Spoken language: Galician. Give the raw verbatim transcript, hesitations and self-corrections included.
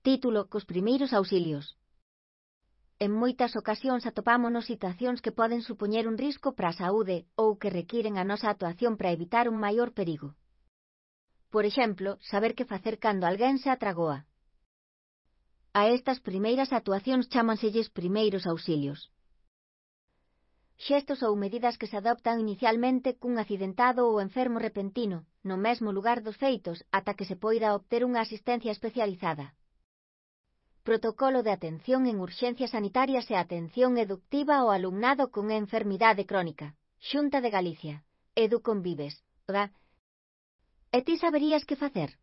Título: Cos primeiros auxilios. En moitas ocasións atopámonos situacións que poden supoñer un risco para a saúde ou que requiren a nosa actuación para evitar un maior perigo. Por exemplo, saber que facer cando alguén se atragoa. A estas primeiras actuacións chámanselles primeiros auxilios. Xestos ou medidas que se adoptan inicialmente cun accidentado ou enfermo repentino, no mesmo lugar dos feitos, ata que se poida obter unha asistencia especializada. Protocolo de atención en urxencias sanitarias e atención educativa ao alumnado con enfermidade crónica. Xunta de Galicia. Educonvives. E ti saberías que facer?